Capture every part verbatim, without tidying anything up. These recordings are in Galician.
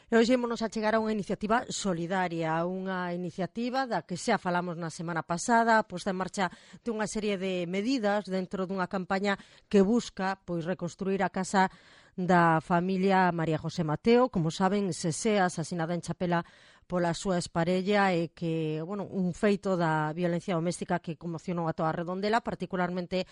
E hoxe ímonos a chegar a unha iniciativa solidaria, unha iniciativa da que xa falamos na semana pasada, posta en marcha de unha serie de medidas dentro dunha campaña que busca pois reconstruir a casa da familia María José Mateo. Como saben, Sesea, asasinada en Chapela pola súa exparella, e que, bueno, un feito da violencia doméstica que conmocionou a toda a Redondela, particularmente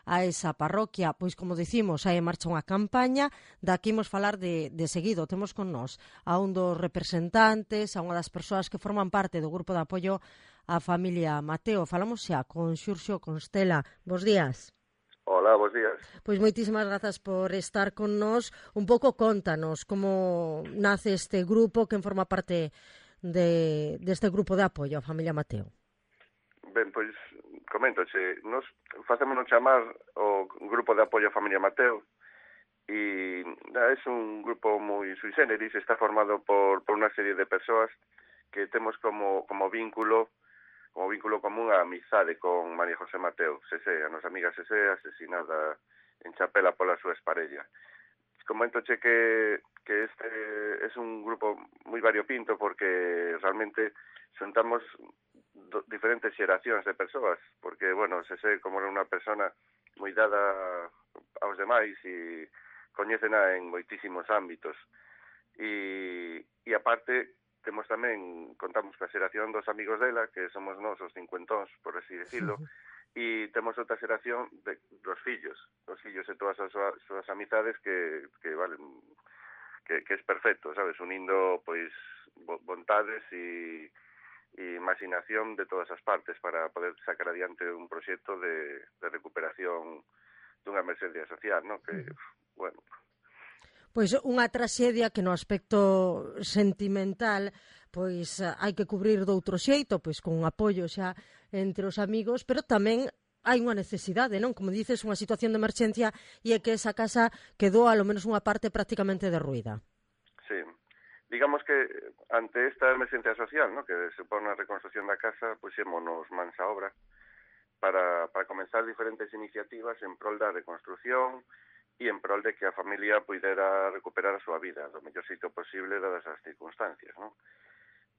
a esa parroquia. Pois, como dicimos, hai en marcha unha campaña da que imos falar de, de seguido. Temos con nós a un dos representantes, a unha das persoas que forman parte do grupo de apoio á familia Mateo. Falamos xa con Xurxo Constela. Bos días. Hola, bos días. Pois moitísimas grazas por estar con nós. Un pouco contanos como nace este grupo, quen forma parte de, deste grupo de apoio á familia Mateo. Ben, pois, coméntoche, nos facémonos chamar o Grupo de Apoio á Familia Mateo e é un grupo moi sui generis, está formado por, por unha serie de persoas que temos como, como vínculo como vínculo común a amizade con María José Mateo, Sesé, a nosa amiga Sesé, asesinada en Chapela pola súa exparella. Coméntoche que, que este é un grupo moi variopinto porque realmente xuntamos do, diferentes xeracións de persoas, porque, bueno, Sesé, como era unha persona moi dada aos demais e coñécena en moitísimos ámbitos. E, e aparte, temos tamén, contamos coa xeración dos amigos dela, que somos nós os cincuentóns, por así decirlo, e temos outra xeración de, dos fillos, dos fillos e todas as súas, súas amizades que, que valen, que, que es perfecto, sabes, unindo, pois, vontades e e imaginación de todas as partes para poder sacar adiante un proxecto de, de recuperación dunha emergencia social, ¿no? Que, bueno... Pois unha traxedia que no aspecto sentimental pois hai que cubrir doutro xeito, pois con un apoio xa entre os amigos, pero tamén hai unha necesidade, non? Como dices, unha situación de emerxencia e é que esa casa quedou a lo menos unha parte prácticamente derruída. Sí. Digamos que ante esta emergencia social, ¿no?, que supón a reconstrucción da casa, puxémonos mans a obra para, para comenzar diferentes iniciativas en prol da reconstrucción e en prol de que a familia puidera recuperar a súa vida do mellor sitio posible dadas as circunstancias, ¿no?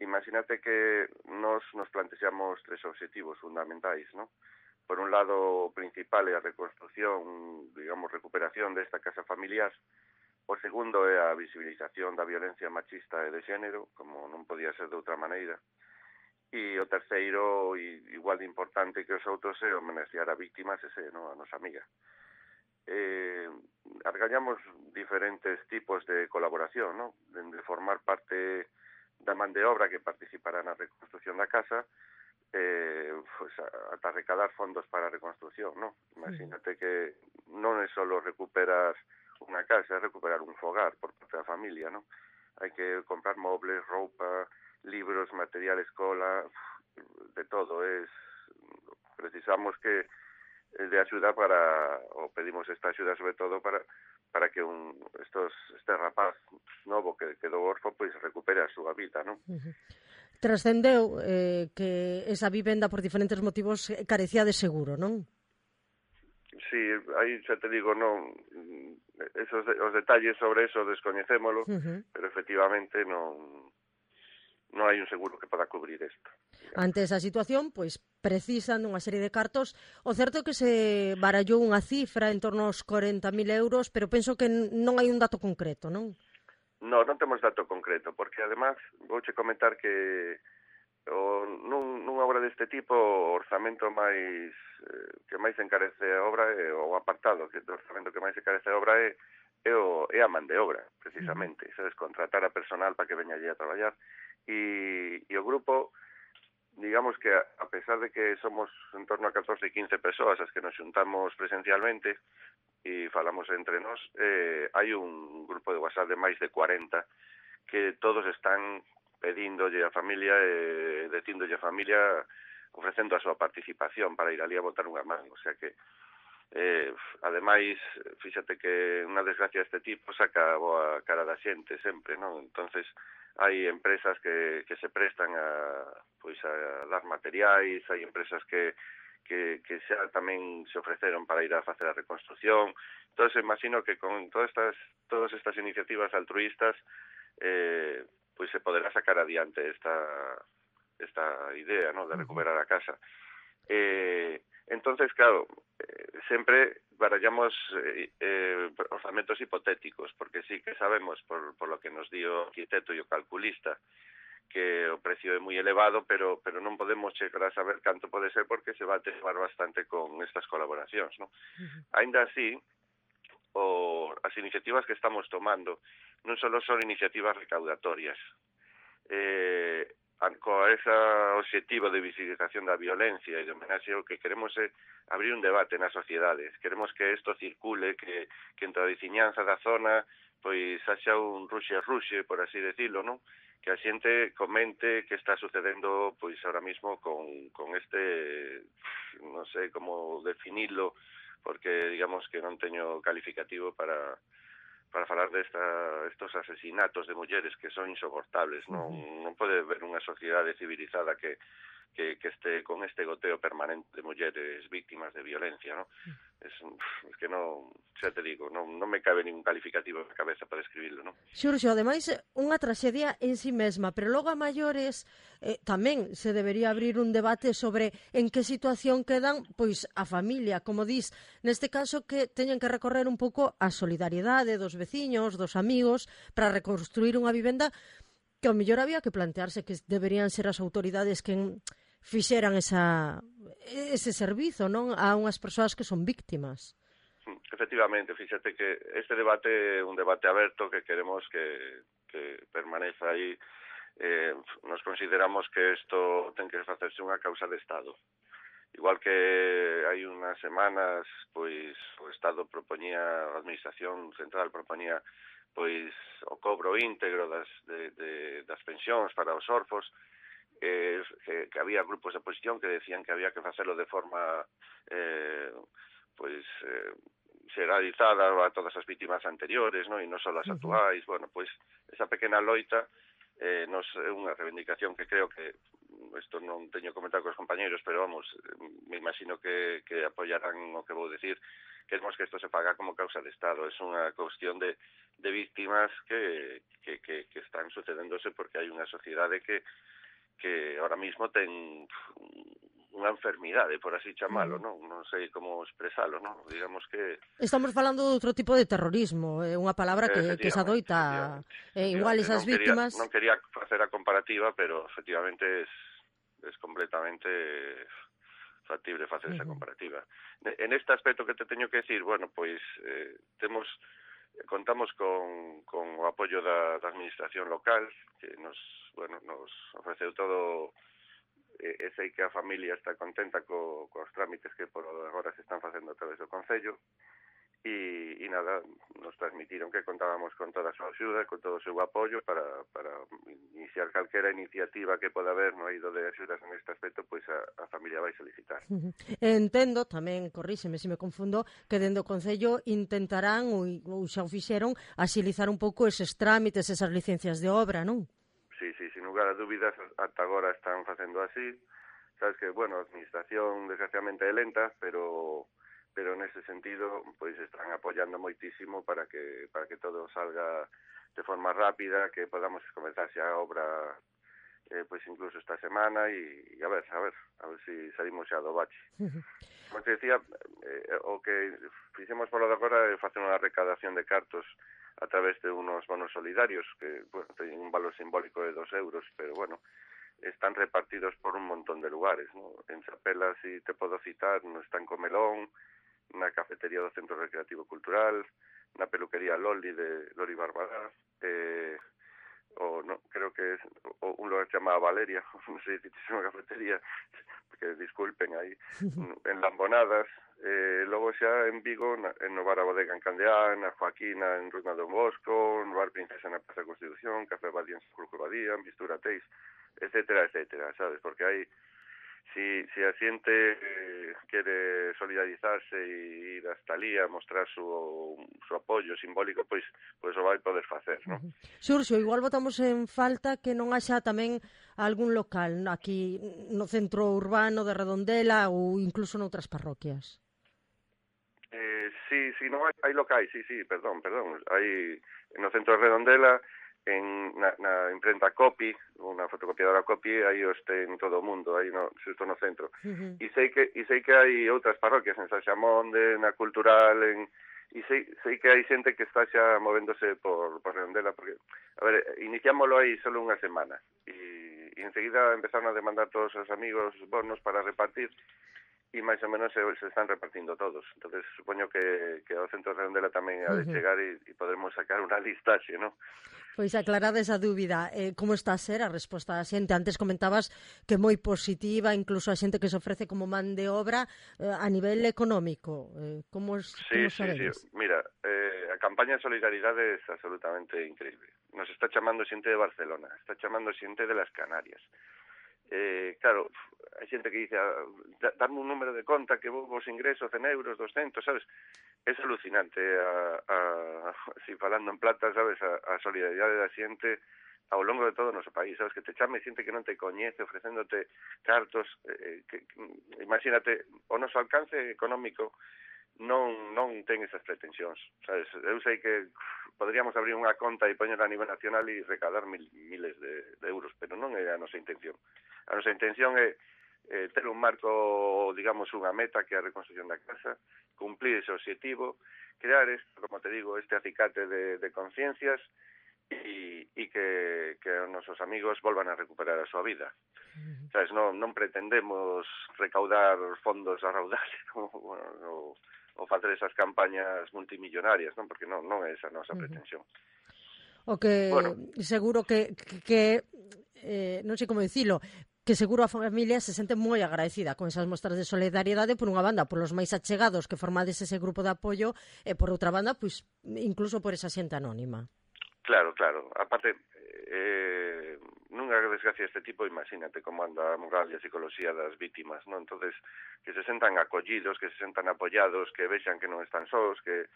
Imagínate que nos nos plantexamos tres obxectivos fundamentais, ¿no? Por un lado, o principal é a reconstrucción, digamos, recuperación desta casa familiar. O segundo é a visibilización da violencia machista e de xénero, como non podía ser de outra maneira. E o terceiro, igual de importante que os outros, é homenaxear a víctimas, ese, no, a nosa amiga. Eh, argallamos diferentes tipos de colaboración, no? De, de formar parte da man de obra que participará na reconstrucción da casa, eh, pues, ata recadar fondos para a reconstrucción, no? Imagínate que non é só recuperar unha casa, é recuperar un fogar por parte da familia, non? Hai que comprar mobles, roupa, libros, material escola, de todo. Es, precisamos que de axuda para, ou pedimos esta axuda sobre todo para para que un estos este rapaz novo que quedou orfo pois recupere a súa vida, non? Uh-huh. Trascendeu eh, que esa vivenda por diferentes motivos carecía de seguro, non? Sí, aí xa te digo, non, esos de, os detalles sobre eso descoñecémolo, uh-huh. Pero efectivamente non non hai un seguro que poda cubrir isto. Ante esa situación, pois precisan dunha serie de cartos. O certo é que se barallou unha cifra en torno aos corenta mil euros, pero penso que non hai un dato concreto, non? Non, non temos dato concreto, porque además vouche comentar que o, nun, nunha obra deste tipo o orzamento máis eh, que máis encarece a obra é o apartado, que o orzamento que máis encarece a obra é, é, o, é a man de obra, precisamente, uh-huh. Sabes, contratar a personal para que veña allí a traballar e, e o grupo, digamos que a, a pesar de que somos en torno a catorce, quince persoas as que nos xuntamos presencialmente e falamos entre nós, eh, hai un grupo de WhatsApp de máis de cuarenta que todos están pedíndolle a familia e eh, dicíndolle a familia ofrecendo a súa participación para ir ali a botar unha man. O sea que, eh, ademais, fíxate que unha desgracia deste tipo saca a boa cara da xente sempre, non? Entonces, hai empresas que, que se prestan a, pois, a dar materiais, hai empresas que, que, que xa tamén se ofreceron para ir a facer a reconstrucción. Entón, imagino que con todas estas, todas estas iniciativas altruistas eh, pois se poderá sacar adiante esta, esta idea, ¿no?, de recuperar a casa. Eh, entonces, claro, eh, sempre barallamos eh, eh, orzamentos hipotéticos, porque sí que sabemos, por, por lo que nos dio o arquitecto e o calculista, que o precio é moi elevado, pero pero non podemos chegar a saber canto pode ser porque se va a atesoar bastante con estas colaboracións, ¿no? Uh-huh. Ainda así, o, as iniciativas que estamos tomando non só son iniciativas recaudatorias. Eh, con ese objetivo de visibilización da violencia e de homenaxe, o que queremos é abrir un debate nas sociedades. Queremos que isto circule, que, que entre a veciñanza da zona pois haxa un ruxe-ruxe, por así decirlo, non? Que a xente comente que está sucedendo pois ahora mismo con, con este, non sei como definirlo, porque digamos que non teño calificativo para para falar de esta, estos asesinatos de mulleres que son insoportables. Non, non pode haber unha sociedade civilizada que, que, que este con este goteo permanente de mulleres víctimas de violencia, ¿no? Es, es que non, xa te digo, non, non me cabe ningún calificativo na cabeza para describirlo, ¿no? Xurxo, ademais, unha traxedia en sí mesma, pero logo a maiores eh, tamén se debería abrir un debate sobre en que situación quedan pois a familia, como dis, neste caso que teñen que recorrer un pouco a solidariedade dos veciños, dos amigos, para reconstruir unha vivenda que ao mellor había que plantearse que deberían ser as autoridades que fixeran esa, ese servizo, non, a unhas persoas que son víctimas. Efectivamente, fíxate que este debate é un debate aberto que queremos que, que permaneza aí. Eh, nos consideramos que isto ten que facerse unha causa de Estado. Igual que hai unhas semanas, pois o Estado propoñía, a Administración Central propoñía pois o cobro íntegro das, de, de, das pensións para os orfos, eh, que, que había grupos de oposición que decían que había que facerlo de forma eh, pois eh, xeralizada a todas as vítimas anteriores, ¿no? E non só as actuais. Uh-huh. Bueno, pois esa pequena loita eh, nos é unha reivindicación que creo que isto non teño comentado cos compañeros, pero vamos, me imagino que, que apoyarán o que vou decir. Queremos que isto se faga como causa de Estado. É unha cuestión de, de víctimas que, que, que, que están sucedéndose porque hai unha sociedade que que ahora mismo ten unha enfermidade, por así chamalo, non? Non sei como expresalo, non? Digamos que... Estamos falando de outro tipo de terrorismo, é unha palabra que, que se adoita eh, igual esas non víctimas... Quería, non quería facer a comparativa, pero efectivamente es, es completamente factible facer uh-huh. esa comparativa. En este aspecto que te teño que decir, bueno, pois eh, temos... Contamos con, con o apoio da, da administración local, que nos, bueno, nos ofreceu todo, e, e sei que a familia está contenta co, cos trámites que por agora se están facendo a través do Concello, e, e nada, nos transmitiron que contábamos con toda a súa axuda, con todo o seu apoio para, para iniciar calquera iniciativa que poda haber no eido de axudas en este aspecto, pois a, a familia vai solicitar. Entendo, tamén, corríxeme se me confundo, que dentro do Concello intentarán, ou, ou xa o fixeron, axilizar un pouco eses trámites, esas licencias de obra, non? Sí, sí, sin lugar a dúbidas, ata agora están facendo así. Sabes que, bueno, a administración desgraciadamente é lenta, pero... pero nese sentido pois están apoiando moitísimo para que para que todo salga de forma rápida, que podamos comenzar xa a obra eh, pois incluso esta semana e, e a ver, a ver, a ver se si salimos xa do bache. Como te decía, eh, o que fixemos por lo de agora é facer unha recadación de cartos a través de unos bonos solidarios que, bueno, teñen un valor simbólico de dos euros, pero bueno, están repartidos por un montón de lugares, ¿no? En Chapela, si te podo citar, no Estanco Melón, na cafetería do Centro Recreativo Cultural, na peluquería Loli de Loli Barbará, eh, o no, creo que es o un lugar chamado Valeria, non sei se é unha cafetería, que disculpen aí, en Lambonadas, eh, logo xa en Vigo, na, en no bar a bodega en Candeán, na Joaquina en Runa Don Bosco, no bar Princesa na Plaza Constitución, Café Badía en Surco Badía, en Mistura Teis, etcétera, etcétera, sabes, porque hai Si, si a xente eh, quere solidarizarse e ir hasta ali a mostrar su, su apoio simbólico, pois pois o vai poder facer, non? Xurxo, igual botamos en falta que non haxa tamén algún local aquí no centro urbano de Redondela ou incluso noutras parroquias. Eh, sí, sí, non hai, hai locais, sí, sí, perdón, perdón. Hai no centro de Redondela en na, na imprenta Copy, unha fotocopiadora Copy, aí os ten todo o mundo, aí no, xusto no centro. Uh-huh. E sei que e sei que hai outras parroquias en San Xamonde, na Cultural, en e sei, sei que hai xente que está xa movéndose por, por Redondela, porque, a ver, iniciámoslo aí solo unha semana, e, e enseguida empezaron a demandar todos os amigos bonos para repartir, e máis ou menos se, se están repartindo todos. Entonces supoño que, que ao centro de Redondela tamén ha de chegar e, e podremos sacar unha listaxe, non? Pois aclarada esa dúbida, eh, como está a ser a resposta da xente? Antes comentabas que moi positiva, incluso a xente que se ofrece como man de obra eh, a nivel económico. Eh, como, sí, como sí, sí. Mira, eh, a campaña de solidaridade é absolutamente increíble. Nos está chamando xente de Barcelona, está chamando xente de las Canarias. Eh, claro, hai xente que dice, dame un número de conta que vos ingreso cen euros, doscientos, sabes? É alucinante, a, a, si falando en plata, sabes, a, a solidaridade da xente ao longo de todo o noso país, sabes, que te chame xente que non te coñece ofrecéndote cartos, eh, que, que, imagínate, o noso alcance económico non non ten esas pretensións, sabes? Eu sei que podríamos abrir unha conta e poñerla a nivel nacional e recaudar mil, miles de, de euros, pero non é a nosa intención. A nosa intención é eh, ter un marco, digamos, unha meta que é a reconstrucción da casa, cumplir ese objetivo, crear, esto, como te digo, este acicate de, de conciencias e, e que, que os nosos amigos volvan a recuperar a súa vida. Uh-huh. Sabes, non, non pretendemos recaudar fondos a raudal o, o, o facer esas campañas multimillonarias, non? Porque non, non é esa a nosa uh-huh. pretensión. O que bueno, seguro que, que, que eh, non sei como dicilo, que seguro a familia se sente moi agradecida con esas mostras de solidariedade, por unha banda, por os máis achegados que formades ese grupo de apoio, e por outra banda, pois, incluso por esa xente anónima. Claro, claro. Aparte, eh, nunha desgracia deste tipo, imagínate como anda a moral e a psicología das vítimas, non? Entonces, que se sentan acollidos, que se sentan apoyados, que vexan que non están sós, que,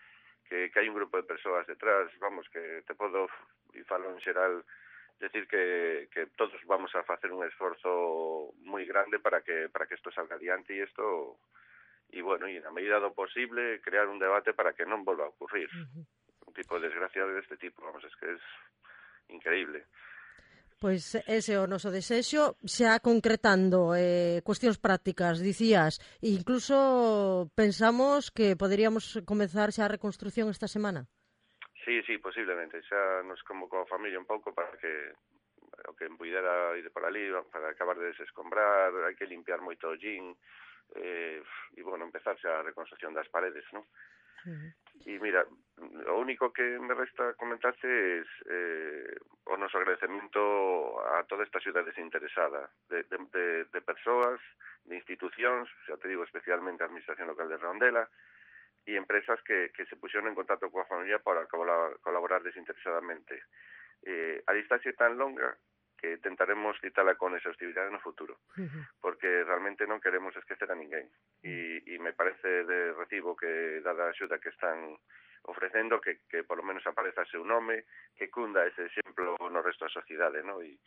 que, que hai un grupo de persoas detrás, vamos, que te podo, e falo en xeral, decir que, que todos vamos a facer un esforzo moi grande para que para que isto salga adiante e isto e bueno, e na medida do posible crear un debate para que non volva a ocurrir uh-huh. un tipo de desgracia deste tipo, vamos, es que es increíble. Pois ese é o noso desexo, xa concretando eh, cuestións prácticas, dicías, e incluso pensamos que poderíamos comezar xa a reconstrucción esta semana. Sí, sí, posiblemente. Xa nos convocou a familia un pouco para que o que puidera ir por ali, para acabar de desescombrar, hai que limpiar moito o gin, eh, e, bueno, empezar xa a reconstrucción das paredes, non? Uh-huh. E, mira, o único que me resta comentarte é eh, o noso agradecemento a toda esta ciudad desinteresada, de, de, de, de persoas, de institucións, xa te digo, especialmente a Administración Local de Redondela, e empresas que, que se puxeron en contacto coa familia para colaborar, colaborar desinteresadamente. Eh, a distancia é tan longa que tentaremos quitala con exhaustividade no futuro, uh-huh. porque realmente non queremos esquecer a ninguén. E, e me parece de recibo que, dada a axuda que están ofrecendo, que, que por lo menos apareza seu nome, que cunda ese exemplo no resto da sociedade, ¿no? E,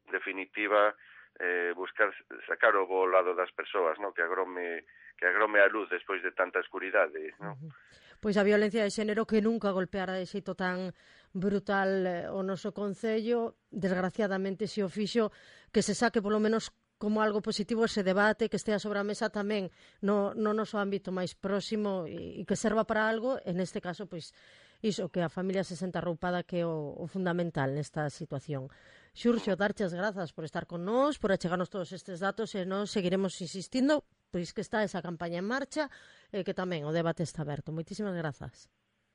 en definitiva, eh, buscar sacar o bo lado das persoas, ¿no? Que agrome que agrome a luz despois de tanta escuridade, ¿no? Uh-huh. Pois a violencia de xénero que nunca golpeara de xeito tan brutal eh, o noso concello, desgraciadamente se o fixo, que se saque polo menos como algo positivo ese debate, que estea sobre a mesa tamén no, no noso ámbito máis próximo e, e que serva para algo, en este caso, pois, iso, que a familia se senta arroupada, que é o, o fundamental nesta situación. Xurxo, darche as grazas por estar con nós, por achegarnos todos estes datos, e nós seguiremos insistindo, pois que está esa campaña en marcha e que tamén o debate está aberto. Moitísimas grazas.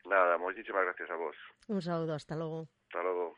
Nada, moitísimas gracias a vos. Un saúdo, hasta logo. Hasta logo.